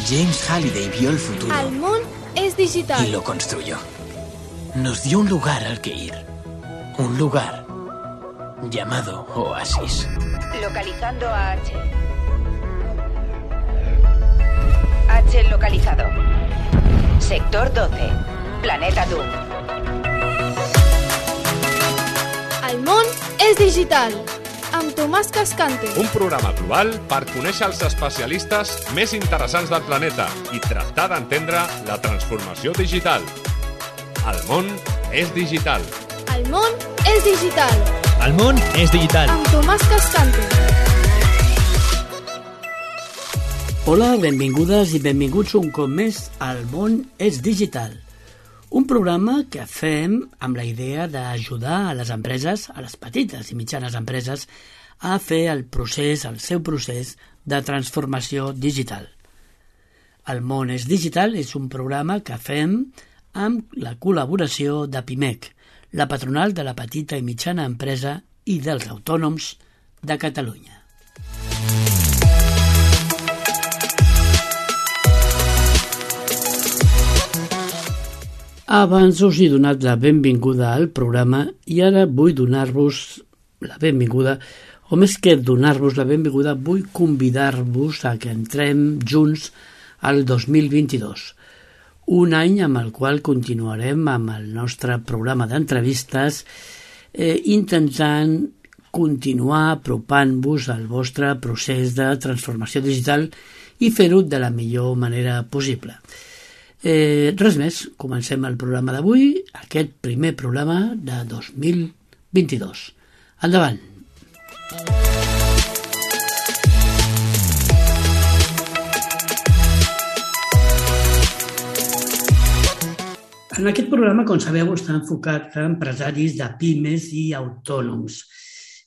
James Halliday vio el futuro. El món es digital. Y lo construyó. Nos dio un lugar al que ir. Un lugar llamado Oasis. Localizando a H. H localizado. Sector 12. Planeta Doom. El món és digital. Amb Tomàs Cascante. Un programa global per conèixer els especialistes més interessants del planeta i tractar d'entendre la transformació digital. El món és digital. El món és digital. El món és digital. Amb Tomàs Cascante. Hola, benvingudes i benvinguts un cop més al món és digital. Un programa que fem amb la idea d'ajudar a les empreses, a les petites i mitjanes empreses, a fer el seu procés de transformació digital. El món és digital és un programa que fem amb la col·laboració de PIMEC, la patronal de la petita i mitjana empresa i dels autònoms de Catalunya. Abans us he donat la benvinguda al programa i ara vull donar-vos la benvinguda, o més que donar-vos la benvinguda, vull convidar-vos a que entrem junts al 2022. Un any amb el qual continuarem amb el nostre programa d'entrevistes intentant continuar apropant-vos al vostre procés de transformació digital i fer-ho de la millor manera possible. Res més, comencem el programa d'avui, aquest primer programa de 2022. Endavant! En aquest programa, com sabeu, està enfocat a empresaris de pimes i autònoms.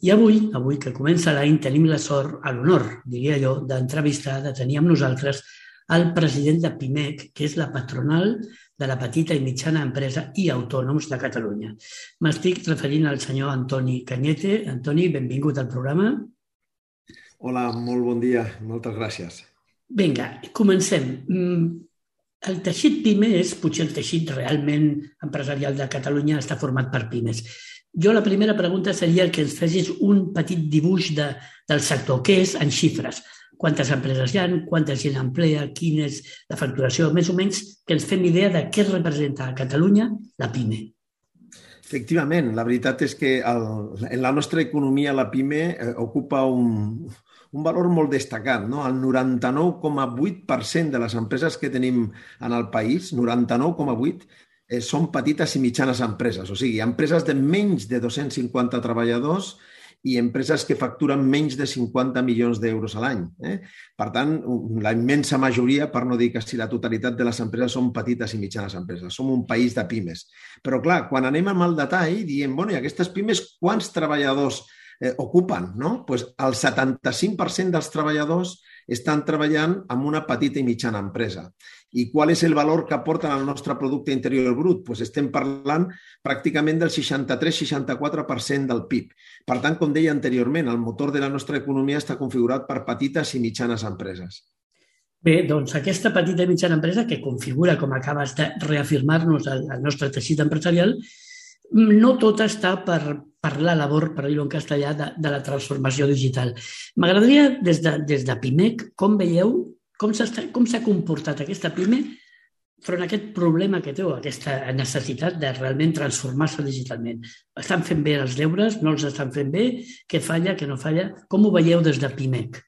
I avui que comença l'any, tenim la sort, l'honor, diria jo, d'entrevistar, de tenir amb nosaltres el president de PIMEC, que és la patronal de la petita i mitjana empresa i autònoms de Catalunya. M'estic referint al senyor Antoni Cañete. Antoni, benvingut al programa. Hola, molt bon dia. Moltes gràcies. Vinga, comencem. El teixit PIME és potser el teixit realment empresarial de Catalunya, està format per pimes. Jo la primera pregunta seria que ens fessis un petit dibuix del sector. Què és en xifres? Quantes empreses hi ha, quanta gent emplea, quina és la facturació, més o menys que ens fem idea de què representa a Catalunya la PIME. Efectivament, la veritat és que en la nostra economia la PIME ocupa un valor molt destacat, no? El 99,8% de les empreses que tenim en el país, 99,8%, són petites i mitjanes empreses, o sigui, empreses de menys de 250 treballadors i empreses que facturen menys de 50 milions d'euros a l'any. Per tant, la immensa majoria, per no dir que si la totalitat de les empreses són petites i mitjanes empreses. Som un país de pimes. Però, clar, quan anem amb el detall, diem, i aquestes pimes quants treballadors ocupen? Pues el 75% dels treballadors estan treballant en una petita i mitjana empresa. I qual és el valor que aporten al nostre producte interior brut? Pues estem parlant pràcticament del 63-64% del PIB. Per tant, com deia anteriorment, el motor de la nostra economia està configurat per petites i mitjanes empreses. Bé, doncs aquesta petita i mitjana empresa que configura, com acabes de reafirmar-nos el nostre teixit empresarial, no tot està per la labor, per dir-ho en castellà, de la transformació digital. M'agradaria, des de PIMEC, com veieu, com s'ha comportat aquesta PIME front a aquest problema que té, aquesta necessitat de realment transformar-se digitalment. Estan fent bé els deures? No els estan fent bé? Què falla, què no falla? Com ho veieu des de PIMEC?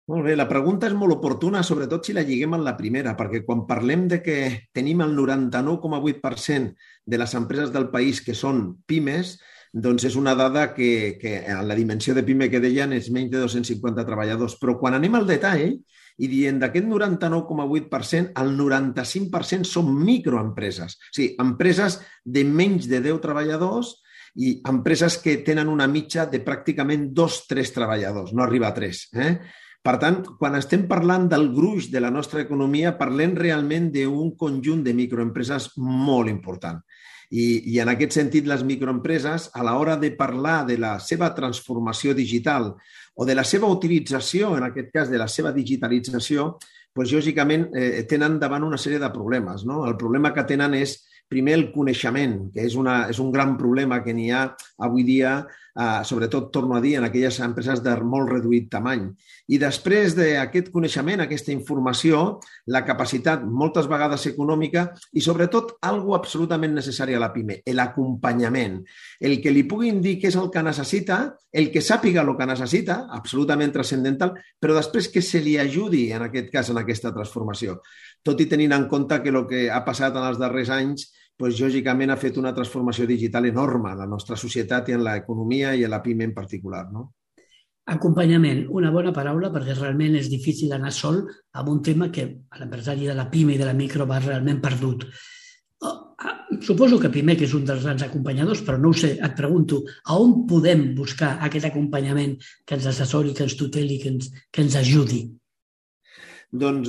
Molt bé, la pregunta és molt oportuna, sobretot si la lliguem amb la primera, perquè quan parlem de que tenim el 99,8% de les empreses del país que són pimes, doncs és una dada que en la dimensió de PIME que deien és menys de 250 treballadors. Però quan anem al detall i dient d'aquest 99,8%, el 95% són microempreses. O sigui, empreses de menys de 10 treballadors i empreses que tenen una mitja de pràcticament 2-3 treballadors, no arriba a 3. Per tant, quan estem parlant del gruix de la nostra economia, parlem realment d'un conjunt de microempreses molt important. I en aquest sentit, les microempreses, a l'hora de parlar de la seva transformació digital o de la seva utilització, en aquest cas de la seva digitalització, doncs, lògicament tenen davant una sèrie de problemes. No? El problema que tenen és, primer, el coneixement, que és un gran problema que n'hi ha avui dia, sobretot, torno a dir, en aquelles empreses de molt reduït tamany. I després d'aquest coneixement, aquesta informació, la capacitat, moltes vegades econòmica, i sobretot, algo absolutament necessari a la PIME, l'acompanyament. El que li puguin dir què és el que necessita, el que sàpiga el que necessita, absolutament transcendental, però després que se li ajudi, en aquest cas, en aquesta transformació. Tot i tenint en compte que el que ha passat en els darrers anys, doncs, lògicament, ha fet una transformació digital enorme en la nostra societat i en l'economia i en la PIME en particular, no? Acompanyament, una bona paraula, perquè realment és difícil anar sol amb un tema que l'empresari de la PIME i de la micro va realment perdut. Suposo que PIMEC és un dels grans acompanyadors, però no ho sé, et pregunto, a on podem buscar aquest acompanyament que ens assessori, que ens tuteli, que ens ajudi? Doncs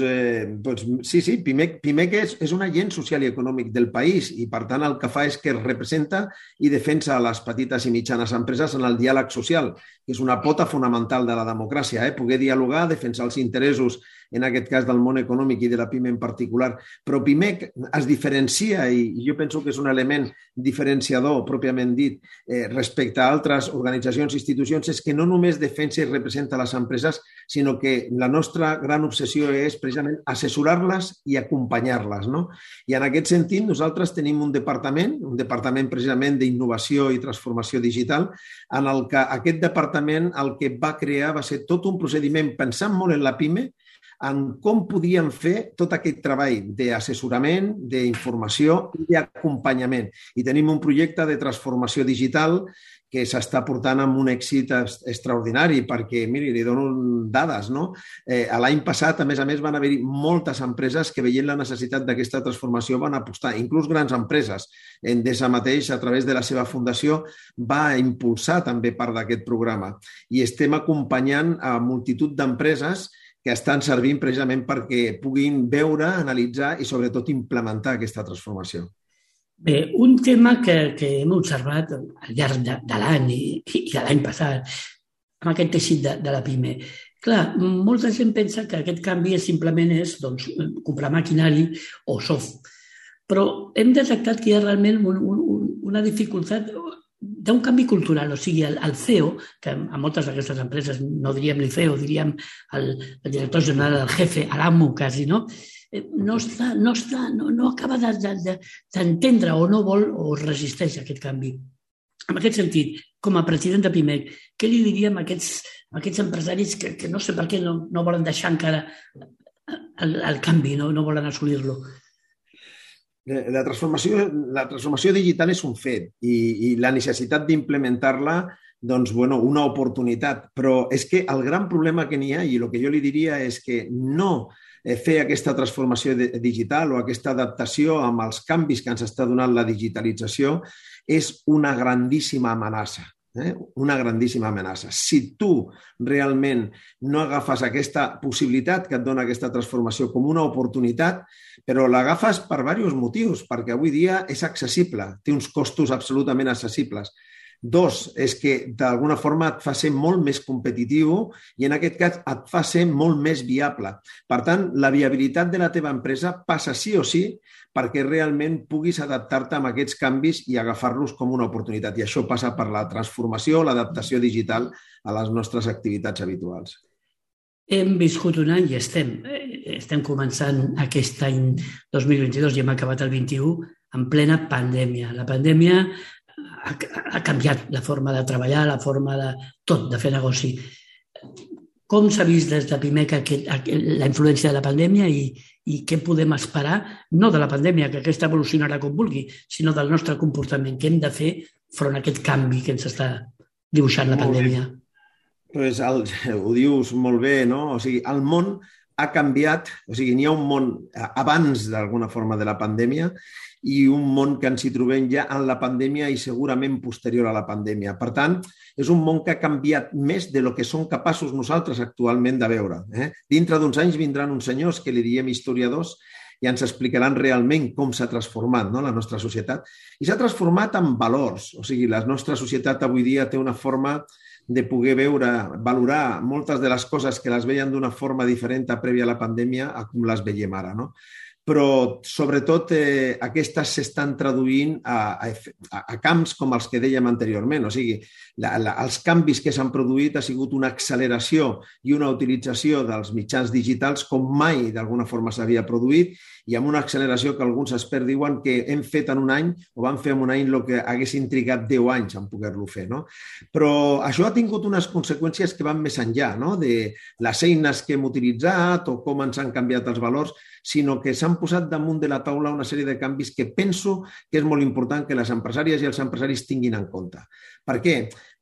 sí, PIMEC és un agent social i econòmic del país i, per tant, el que fa és que representa i defensa les petites i mitjanes empreses en el diàleg social, que és una pota fonamental de la democràcia, poder dialogar, defensar els interessos, en aquest cas del món econòmic i de la PIME en particular. Però PIMEC es diferencia, i jo penso que és un element diferenciador, pròpiament dit, respecte a altres organitzacions i institucions, és que no només defensa i representa les empreses, sinó que la nostra gran obsessió és precisament assessorar-les i acompanyar-les, no? I en aquest sentit nosaltres tenim un departament precisament d'innovació i transformació digital, en el que aquest departament el que va crear va ser tot un procediment pensant molt en la PIME, en com podíem fer tot aquest treball d'assessorament, d'informació i d'acompanyament. I tenim un projecte de transformació digital que s'està portant amb un èxit extraordinari, perquè, miri, li dono dades, no? L'any passat, a més, van haver-hi moltes empreses que, veient la necessitat d'aquesta transformació, van apostar, inclús grans empreses. Endesa mateix, a través de la seva fundació, va impulsar també part d'aquest programa. I estem acompanyant a multitud d'empreses que estan servint precisament perquè puguin veure, analitzar i, sobretot, implementar aquesta transformació. Bé, un tema que hem observat al llarg de l'any i de l'any passat, amb aquest teixit de la PIME. Clar, molta gent pensa que aquest canvi simplement és comprar maquinari o soft, però hem detectat que hi ha realment una dificultat d'un canvi cultural, o sigui, el CEO, que a moltes d'aquestes empreses no diríem el CEO, diríem el director general, el jefe, l'amo quasi, no? No acaba d'entendre o no vol o resisteix a aquest canvi. En aquest sentit, com a president de PIMEC, què li diríem a aquests empresaris que no sé per què no volen deixar encara el canvi, no volen assolir-lo? La transformació digital és un fet i la necessitat d'implementar-la, doncs, una oportunitat. Però és que el gran problema que n'hi ha, i el que jo li diria és que no fer aquesta transformació digital o aquesta adaptació amb els canvis que ens està donant la digitalització és una grandíssima amenaça. Una grandíssima amenaça. Si tu realment no agafes aquesta possibilitat que et dona aquesta transformació com una oportunitat, però l'agafes per diversos motius, perquè avui dia és accessible, té uns costos absolutament accessibles. Dos, és que d'alguna forma et fa ser molt més competitiu i en aquest cas et fa ser molt més viable. Per tant, la viabilitat de la teva empresa passa sí o sí perquè realment puguis adaptar-te a aquests canvis i agafar-los com una oportunitat. I això passa per la transformació, l'adaptació digital a les nostres activitats habituals. Hem viscut un any i estem començant aquest any 2022 i hem acabat el 21 en plena pandèmia. La pandèmia ha canviat la forma de treballar, la forma de tot, de fer negoci. Com s'ha vist des de PIMEC la influència de la pandèmia i què podem esperar, no de la pandèmia, que aquesta evolucionarà com vulgui, sinó del nostre comportament, què hem de fer front a aquest canvi que ens està dibuixant la pandèmia? Pues ho dius molt bé, no? O sigui, el món ha canviat, o sigui, n'hi ha un món abans d'alguna forma de la pandèmia i un món que ens hi trobem ja en la pandèmia i segurament posterior a la pandèmia. Per tant, és un món que ha canviat més de lo que som capaços nosaltres actualment de veure. Dintre d'uns anys vindran uns senyors que li diem historiadors i ens explicaran realment com s'ha transformat la nostra societat. I s'ha transformat en valors. O sigui, la nostra societat avui dia té una forma de poder valorar moltes de les coses que les veien d'una forma diferent prèvia a la pandèmia a com les veiem ara, no? Però, sobretot, aquestes s'estan traduint a camps com els que dèiem anteriorment. O sigui, els canvis que s'han produït ha sigut una acceleració i una utilització dels mitjans digitals com mai d'alguna forma s'havia produït i amb una acceleració que alguns experts diuen que hem fet en un any o van fer en un any el que haguessin trigat 10 anys en poder-lo fer, no? Però això ha tingut unes conseqüències que van més enllà, no? De les eines que hem utilitzat o com ens han canviat els valors, sinó que s'han posat damunt de la taula una sèrie de canvis que penso que és molt important que les empresàries i els empresaris tinguin en compte. Per què?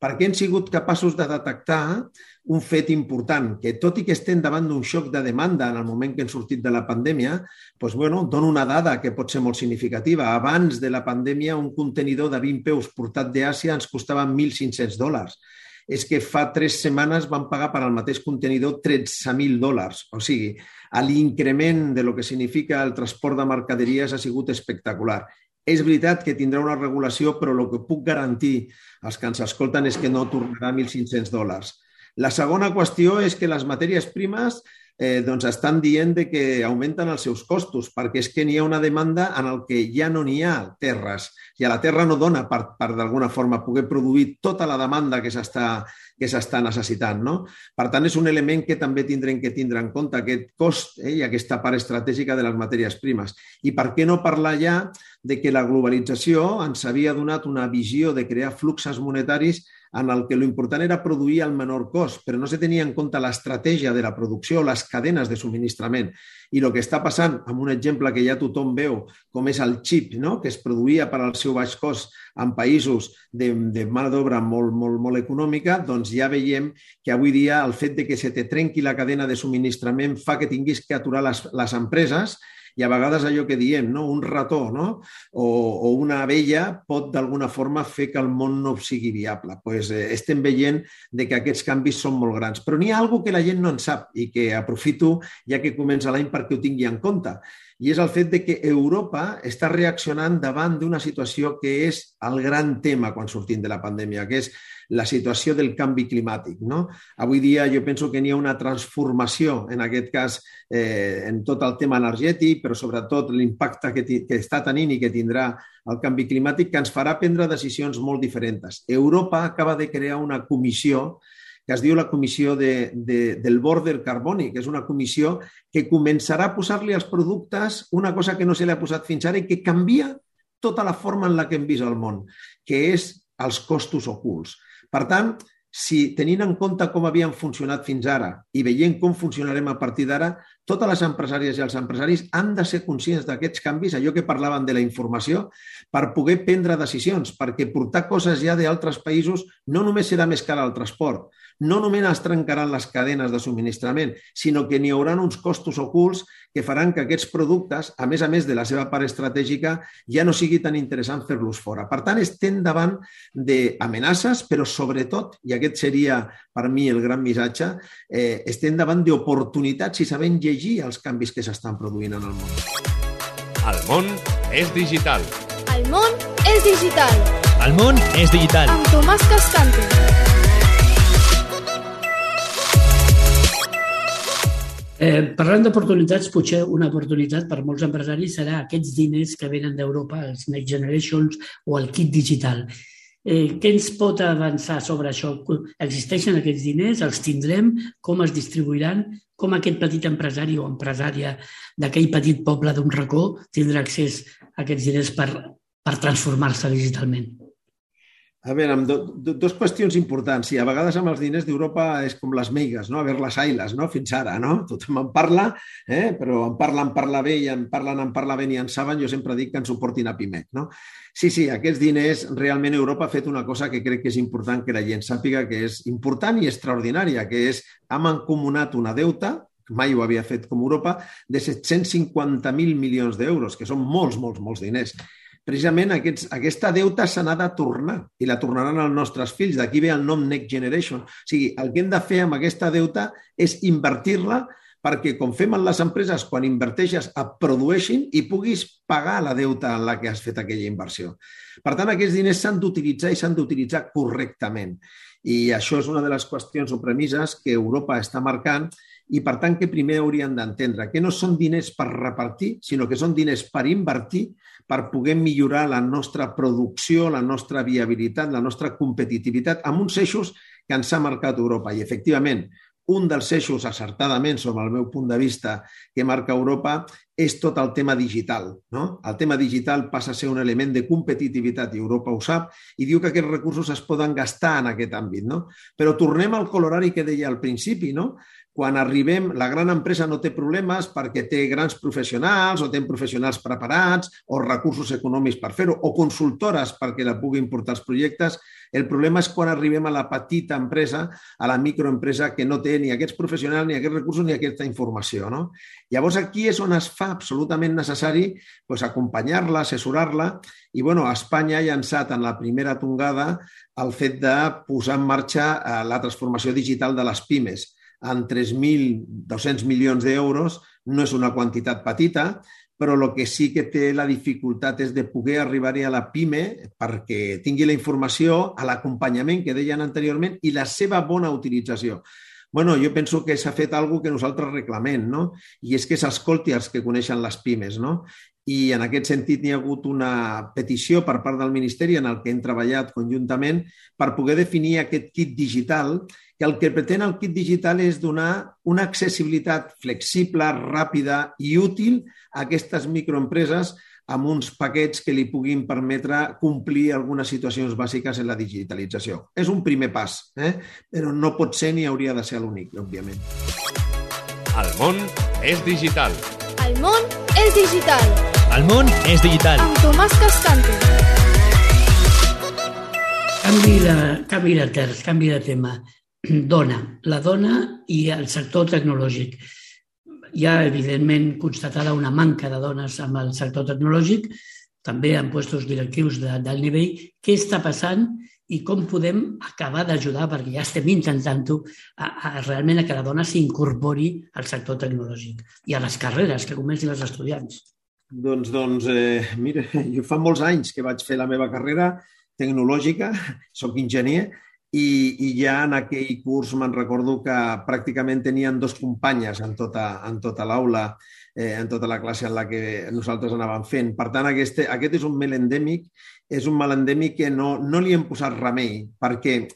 Perquè hem sigut capaços de detectar un fet important, que tot i que estem davant d'un xoc de demanda en el moment que hem sortit de la pandèmia, doncs, dono una dada que pot ser molt significativa. Abans de la pandèmia, un contenidor de 20 peus portat d'Àsia ens costava $1.500. És que fa 3 setmanes van pagar per al mateix contenidor $13.000. O sigui, l'increment de lo que significa el transport de mercaderies ha sigut espectacular. És veritat que tindrà una regulació, però el que puc garantir als que ens escolten és que no tornarà a $1.500. La segona qüestió és que les matèries primes estan dient que augmenten els seus costos, perquè és que n'hi ha una demanda en el que ja no n'hi ha terres, i a la terra no dona per d'alguna forma poder produir tota la demanda que s'està necessitant, no? Per tant, és un element que també tindrem que tindre en compte, aquest cost i aquesta part estratègica de les matèries primes. I per què no parlar ja de que la globalització ens havia donat una visió de crear fluxos monetaris en el que l'important era produir al menor cost, però no se tenia en compte l'estratègia de la producció, les cadenes de subministrament. I el que està passant, amb un exemple que ja tothom veu, com és el xip, no? Que es produïa per al seu baix cost en països de mà d'obra molt econòmica, doncs ja veiem que avui dia el fet de que se te trenqui la cadena de subministrament fa que tinguis que aturar les empreses. I a vegades allò que diem, no? Un rató, no? O una abella pot d'alguna forma fer que el món no sigui viable. Pues, estem veient que aquests canvis són molt grans. Però n'hi ha alguna cosa que la gent no en sap i que aprofito ja que comença l'any perquè ho tingui en compte. I és el fet de que Europa està reaccionant davant d'una situació que és el gran tema quan sortim de la pandèmia, que és la situació del canvi climàtic, no? Avui dia jo penso que n'hi ha una transformació, en aquest cas, en tot el tema energètic, però sobretot l'impacte que està tenint i que tindrà el canvi climàtic, que ens farà prendre decisions molt diferents. Europa acaba de crear una comissió que es diu la Comissió del Border Carbònic, que és una comissió que començarà a posar-li als productes una cosa que no se li ha posat fins ara i que canvia tota la forma en la que hem vist el món, que és els costos ocults. Per tant, si tenint en compte com havien funcionat fins ara i veient com funcionarem a partir d'ara, totes les empresàries i els empresaris han de ser conscients d'aquests canvis, allò que parlaven de la informació, per poder prendre decisions, perquè portar coses ja d'altres països no només serà més car el transport, no només es trencaran les cadenes de subministrament, sinó que n'hi haurà uns costos ocults que faran que aquests productes, a més de la seva part estratègica, ja no sigui tan interessant fer-los fora. Per tant, estem davant d'amenaces, però sobretot, i aquest seria per mi el gran missatge, estem davant d'oportunitats i sabem llegir els canvis que s'estan produint en el món. El món és digital. El món és digital. El món és digital. Amb Tomàs Cascante. Parlant d'oportunitats, potser una oportunitat per molts empresaris serà aquests diners que venen d'Europa, els Next Generations o el kit digital. Què ens pot avançar sobre això? Existeixen aquests diners? Els tindrem? Com es distribuiran? Com aquest petit empresari o empresària d'aquell petit poble d'un racó tindrà accés a aquests diners per transformar-se digitalment? A veure, amb dues qüestions importants. Sí, a vegades amb els diners d'Europa és com les meigues, no? A veure les ailes, no? Fins ara, no? Tothom en parla, però en parla bé i en parla bé i en saben. Jo sempre dic que ens ho portin a Pimec, no? Sí, aquests diners, realment Europa ha fet una cosa que crec que és important que la gent sàpiga, que és important i extraordinària, que és ha mancomunat una deuta, mai ho havia fet com Europa, de 750.000 milions d'euros, que són molts diners. Precisament aquesta deuta se n'ha de tornar i la tornaran els nostres fills. D'aquí ve el nom Next Generation. O sigui, el que hem de fer amb aquesta deuta és invertir-la perquè, com fem en les empreses, quan inverteixes et produeixin i puguis pagar la deuta en la que has fet aquella inversió. Per tant, aquests diners s'han d'utilitzar i s'han d'utilitzar correctament. I això és una de les qüestions o premisses que Europa està marcant i, per tant, que primer haurien d'entendre que no són diners per repartir, sinó que són diners per invertir, per poder millorar la nostra producció, la nostra viabilitat, la nostra competitivitat amb uns eixos que ens ha marcat Europa. I, efectivament, un dels eixos, acertadament, sobre el meu punt de vista, que marca Europa és tot el tema digital. No? El tema digital passa a ser un element de competitivitat i Europa ho sap i diu que aquests recursos es poden gastar en aquest àmbit. No? Però tornem al colorari que deia al principi, no? Quan arribem, la gran empresa no té problemes perquè té grans professionals o té professionals preparats o recursos econòmics per fer-ho o consultores perquè la puguin portar els projectes. El problema és quan arribem a la petita empresa, a la microempresa que no té ni aquests professionals, ni aquests recursos, ni aquesta informació. No? Llavors, aquí és on es fa absolutament necessari acompanyar-la, assessorar-la i Espanya ha llançat en la primera tongada el fet de posar en marxa la transformació digital de les pimes. En 3.200 milions d'euros no és una quantitat petita, però el que sí que té la dificultat és de poder arribar-hi a la PIME perquè tingui la informació, l'acompanyament que deien anteriorment i la seva bona utilització. Jo penso que s'ha fet alguna cosa que nosaltres reclamem, no? I és que s'escolti els que coneixen les pimes, no? I en aquest sentit hi ha hagut una petició per part del Ministeri en el que hem treballat conjuntament per poder definir aquest kit digital, que el que pretén el kit digital és donar una accessibilitat flexible, ràpida i útil a aquestes microempreses amb uns paquets que li puguin permetre complir algunes situacions bàsiques en la digitalització. És un primer pas, però no pot ser ni hauria de ser l'únic, òbviament. El món és digital. El món és digital. El món és digital. Amb Tomàs Cascante. Canvi de terç, canvi de tema. La dona i el sector tecnològic. Hi ha, evidentment, constatada una manca de dones amb el sector tecnològic, també en puestos directius d'alt nivell. Què està passant i com podem acabar d'ajudar, perquè ja estem intentant-ho, realment que la dona s'incorpori al sector tecnològic i a les carreres que comencin els estudiants? Doncs, mira, jo fa molts anys que vaig fer la meva carrera tecnològica, soc enginyer, i ja en aquell curs me'n recordo que pràcticament tenien 2 companyes en tota l'aula, en tota la classe en la que nosaltres anàvem fent. Per tant, aquest és un mal endèmic, que no li hem posat remei, perquè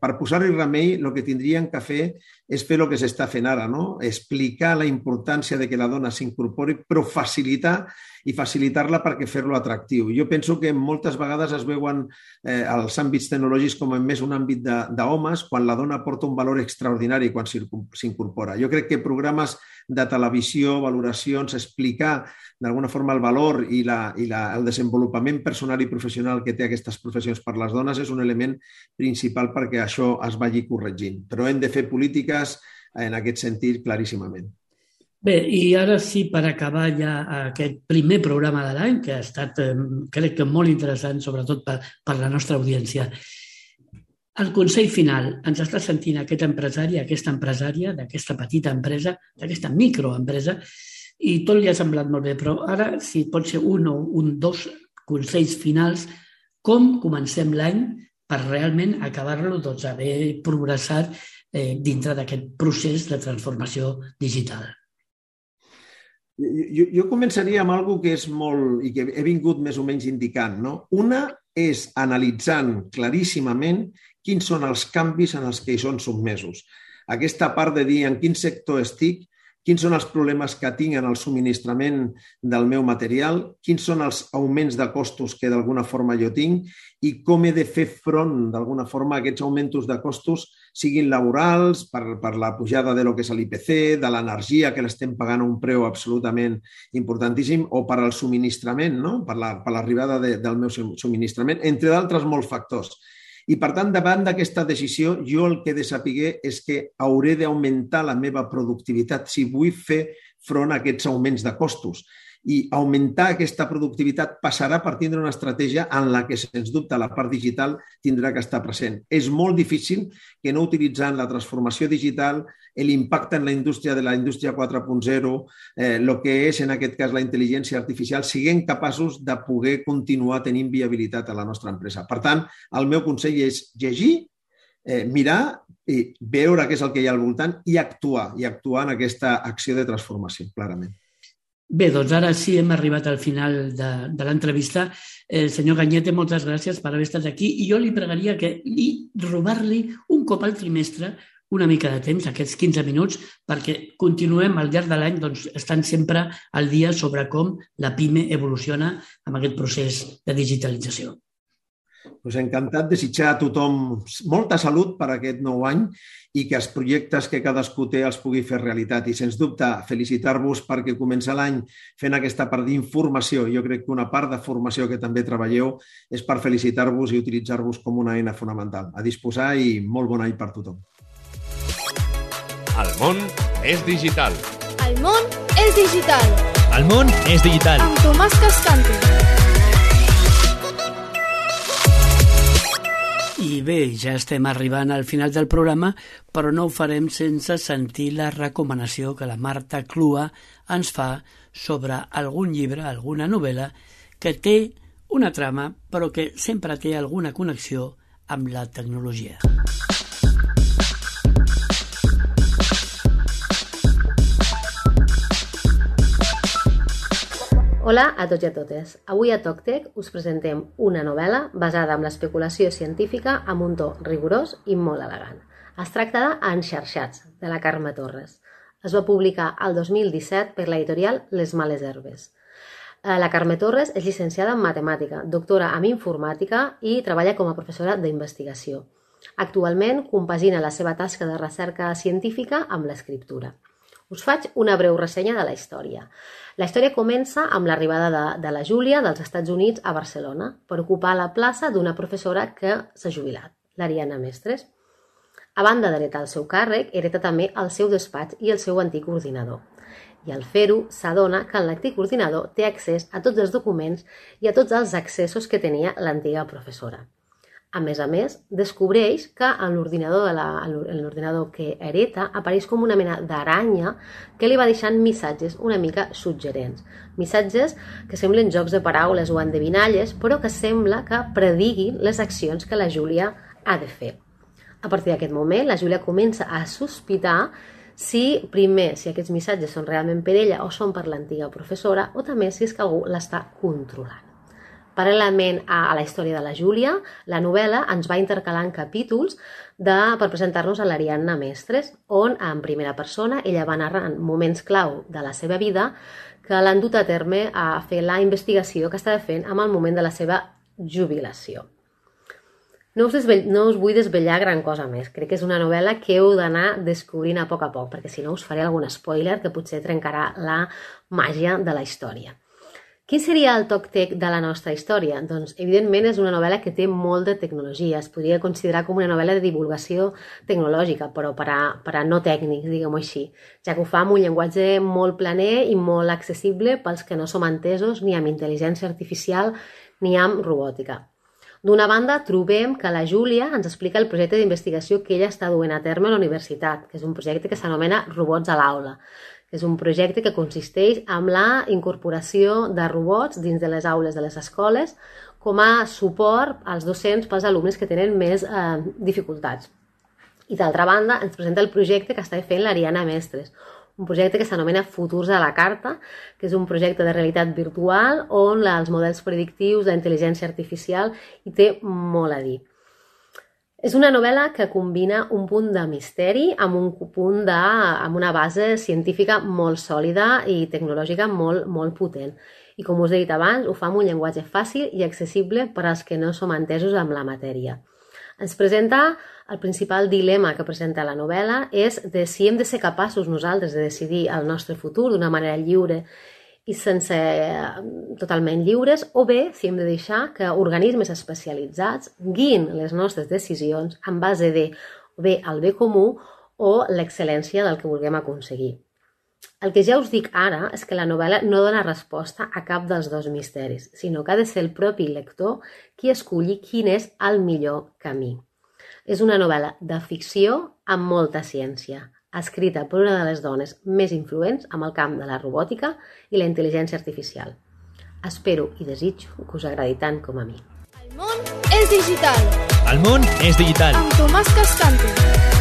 per posar-hi remei el que tindrien que fer és fer el que s'està fent ara, no? Explicar la importància de que la dona s'incorpori, però facilitar-la perquè fer-lo atractiu. Jo penso que moltes vegades es veuen els àmbits tecnològics com més un àmbit d'homes quan la dona aporta un valor extraordinari quan s'incorpora. Jo crec que programes de televisió, valoracions, explicar d'alguna forma el valor i el desenvolupament personal i professional que té aquestes professions per les dones és un element principal perquè això es vagi corregint. Però hem de fer polítiques en aquest sentit claríssimament. Bé, i ara sí, per acabar ja aquest primer programa de l'any, que ha estat, crec que molt interessant, sobretot per la nostra audiència. El consell final, ens està sentint aquest empresari, aquesta empresària d'aquesta petita empresa, d'aquesta microempresa, i tot li ha semblat molt bé, però ara, si pot ser dos consells finals, com comencem l'any per realment acabar-lo haver progressat dintre d'aquest procés de transformació digital. Jo començaria amb alguna cosa que és molt i que he vingut més o menys indicant, no? Una és analitzant claríssimament quins són els canvis en els que hi són sotmesos. Aquesta part de dir en quin sector estic, quins són els problemes que tinc en el subministrament del meu material, quins són els augments de costos que d'alguna forma jo tinc i com he de fer front d'alguna forma a aquests augments de costos, siguin laborals, per la pujada de lo que és l'IPC, de l'energia que l'estem pagant a un preu absolutament importantíssim, o per al subministrament, no? Per l'arribada del meu subministrament, entre d'altres molts factors. I, per tant, davant d'aquesta decisió, jo el que he de saber és que hauré d'augmentar la meva productivitat si vull fer front a aquests augments de costos. i augmentar aquesta productivitat passarà per tindre una estratègia en la que, sens dubte, la part digital tindrà que estar present. És molt difícil que no utilitzant la transformació digital, l'impacte en la indústria de la indústria 4.0, el que és en aquest cas la intel·ligència artificial, siguem capaços de poder continuar tenint viabilitat a la nostra empresa. Per tant, el meu consell és llegir, mirar, veure què és el que hi ha al voltant i actuar en aquesta acció de transformació, clarament. Bé, doncs ara sí hem arribat al final de l'entrevista. Senyor Cañete, moltes gràcies per haver estat aquí i jo li pregaria que robar-li un cop al trimestre una mica de temps, aquests 15 minuts, perquè continuem al llarg de l'any estant sempre al dia sobre com la PIME evoluciona amb aquest procés de digitalització. Pues encantat, desitjar a tothom molta salut per aquest nou any i que els projectes que cadascú té els pugui fer realitat. I, sens dubte, felicitar-vos perquè comença l'any fent aquesta part d'informació. Jo crec que una part de formació que també treballeu és per felicitar-vos i utilitzar-vos com una eina fonamental. A disposar i molt bon any per tothom. El món és digital. El món és digital. El món és digital. Amb Tomàs Cascante. I bé, ja estem arribant al final del programa, però no ho farem sense sentir la recomanació que la Marta Clua ens fa sobre algun llibre, alguna novel·la, que té una trama, però que sempre té alguna connexió amb la tecnologia. Hola a tots i a totes. Avui a TocTec us presentem una novel·la basada en l'especulació científica amb un to rigorós i molt elegant. Es tracta de Enxarxats, de la Carme Torres. Es va publicar el 2017 per l'editorial Les Males Herbes. La Carme Torres és llicenciada en matemàtica, doctora en informàtica i treballa com a professora d'investigació. Actualment compagina la seva tasca de recerca científica amb l'escriptura. Us faig una breu ressenya de la història. La història comença amb l'arribada de la Júlia dels Estats Units a Barcelona per ocupar la plaça d'una professora que s'ha jubilat, l'Ariana Mestres. A banda d'heretar el seu càrrec, hereta també el seu despatx i el seu antic ordinador. I al fer-ho, s'adona que l'antic ordinador té accés a tots els documents i a tots els accessos que tenia l'antiga professora. A més, descobreix que en l'ordinador que hereta apareix com una mena d'aranya que li va deixant missatges una mica suggerents. Missatges que semblen jocs de paraules o endevinalles, però que sembla que prediguin les accions que la Júlia ha de fer. A partir d'aquest moment, la Júlia comença a sospitar si aquests missatges són realment per ella o són per l'antiga professora, o també si és que algú l'està controlant. Paral·lelament a la història de la Júlia, la novel·la ens va intercalant capítols per presentar-nos a l'Ariadna Mestres, on, en primera persona, ella va narrant moments clau de la seva vida que l'han dut a terme a fer la investigació que estava fent en el moment de la seva jubilació. No us vull desvetllar gran cosa més. Crec que és una novel·la que heu d'anar descobrint a poc, perquè si no us faré algun spoiler que potser trencarà la màgia de la història. Quin seria el TocTec de la nostra història? Doncs, evidentment, és una novel·la que té molt de tecnologia. Es podria considerar com una novel·la de divulgació tecnològica, però per a no tècnics, diguem-ho així, ja que ho fa amb un llenguatge molt planer i molt accessible pels que no som entesos ni amb intel·ligència artificial ni amb robòtica. D'una banda, trobem que la Júlia ens explica el projecte d'investigació que ella està duent a terme a la universitat, que és un projecte que s'anomena Robots a l'aula. És un projecte que consisteix en la incorporació de robots dins de les aules de les escoles com a suport als docents pels alumnes que tenen més dificultats. I d'altra banda, ens presenta el projecte que està fent l'Ariadna Mestres, un projecte que s'anomena Futurs a la Carta, que és un projecte de realitat virtual on els models predictius d'intel·ligència artificial hi té molt a dir. És una novel·la que combina un punt de misteri amb una base científica molt sòlida i tecnològica molt potent. I com us he dit abans, ho fa amb un llenguatge fàcil i accessible per als que no som entesos amb la matèria. Ens presenta el principal dilema que presenta la novel·la és de si hem de ser capaços nosaltres de decidir el nostre futur d'una manera lliure i totalment lliures, o bé si hem de deixar que organismes especialitzats guiïn les nostres decisions en base de o bé el bé comú o l'excel·lència del que vulguem aconseguir. El que ja us dic ara és que la novel·la no dona resposta a cap dels dos misteris, sinó que ha de ser el propi lector qui esculli quin és el millor camí. És una novel·la de ficció amb molta ciència, escrita per una de les dones més influents amb el camp de la robòtica i la intel·ligència artificial. Espero i desitjo que us agradi tant com a mi. El món és digital. El món és digital. Amb Tomàs Cascante.